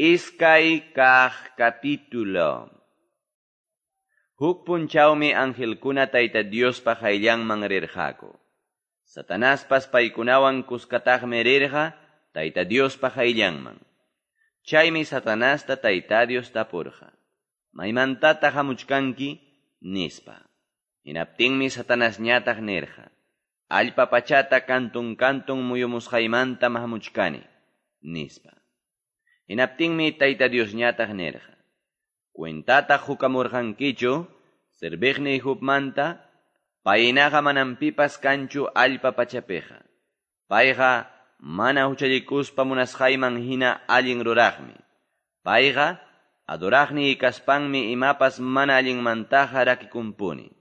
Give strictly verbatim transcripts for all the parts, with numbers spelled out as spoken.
Iskay kaq capítulo. Huk punchawmi angelkuna Tayta Diospa qayllanman rirqaku. Satanaspas paykunawan kuskataqmi rirqa Tayta Diospa qayllanman. Chaymi Satanasta Tayta Dios tapurqa: "¿Maymantataq hamuchkanki?" nispa. Hinaptinmi Satanasñataq nirqa: "Allpa pachata kantun kantun muyumusqaymantam hamuchkani", nispa. Hinaptinmi Tayta Diosñataq nirqa: "Cuentata hukamurqankichu serviqniy Jobmanta? Paynaqa manam pipas kanchu allpa pachapiqa. Payqa mana huchallikuspa munasqayman hina allin ruraqmi. Payqa adoraqniy kaspanmi imapas mana allinmantaqa rakikunpuni.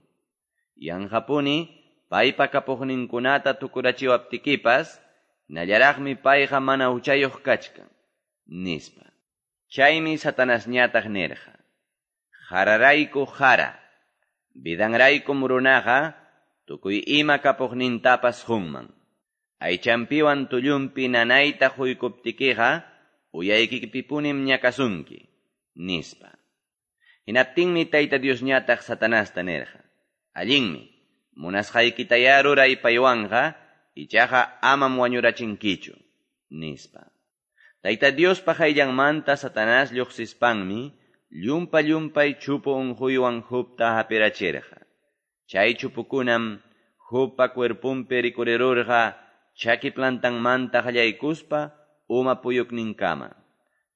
Yanqapuni paypa kapuqninkunata tukurachiwaptikipas, hinallaraqmi payqa mana huchayuq kachkan", nispa. Chaymi Satanasñataq nirqa: "Qararayku qara, vidanraykum runaqa tukuy ima kapuqnintapas qunman. Aychanpiwan tullunpi nanayta quykuptikiqa uyaykipipunim ñakasunki", nispa. Hinaptinmi Tayta Diosñataq Satanasta nirqa: "Allinmi, munasqaykitayá ruray paywanqa, ichaqa amam wañurachinkichu", nispa. Tayta Diospa qayllanmanta Satanás lluqsispanmi llumpa-llumpay chupu unquywan Jobta hapirachirqa. Chay chupukunam Jobpa cuerponpi rikurirurqa chaki plantanmanta qallaykuspa uma puyukninkama.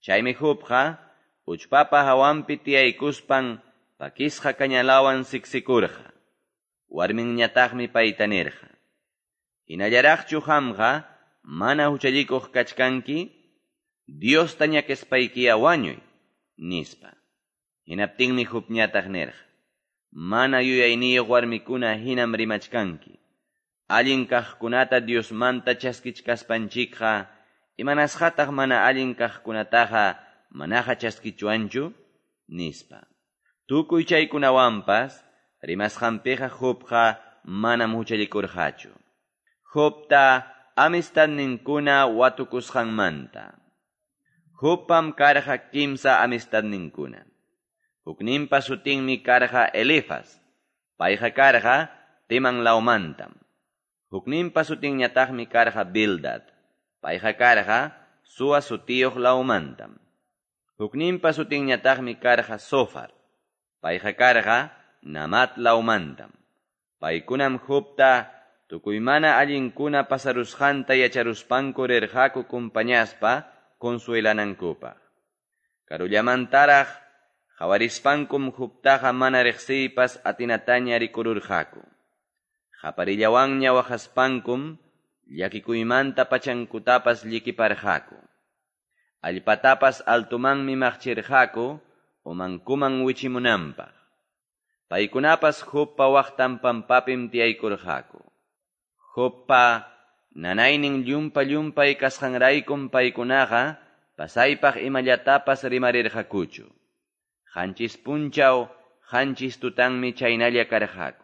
Chaymi Jobqa uchpapa hawanpi tiyaykuspan pakisqa kañalawan siksikurqa. Warminñataqmi payta nirqa: "Hinallaraqchu qamqa mana huchallikuq kachkanki? Diosta ñakaspaykiya wañuy", nispa. Hinaptinmi Jobñataq nirqa: "Mana yuyayniyuq warmikuna hinam rimachkanki. Allin kaqkunata Diosmanta chaskichkaspanchikqa, imanasqataq mana allin kaqkunataqa manaqa chaskichwanchu?" nispa. Tukuy chaykunawanpas rimasqanpiqa Jobqa manam huchallikurqachu. Jobta amistadninkuna watukusqanmanta. Jobpam karqa kimsa amistadninkuna. Hukninpa sutinmi karqa Elifaz, payqa karqa Teman lawmantam. Hukninpa sutinñataqmi karqa Bildad, payqa karqa Sua sutiyuq lawmantam. Hukninpa sutinñataqmi karqa Zofar, payqa karqa Namat lawmantam. Paykunam Jobta tukuy mana allinkuna pasarusqanta yacharuspanku rirqaku kumpañaspa consuelanankupaq. Karullamantaraq qawarispankum Jobtaqa mana riqsiypas atinataña rikururqaku. Qaparillawanña waqaspankum llakikuymanta pachankutapas llikiparqaku. Allpatapas altumanmi maqchirqaku umankuman wichimunanpaq. Paykunapas Jobpa waqtan pampapim tiyaykurqaku. Jobpa nanaynin llumpa-llumpay kasqanraykum paykunaqa pasaypaq imallatapas rimarirqakuchu. Qanchis punchaw, qanchis tutanmi chaynalla karqaku.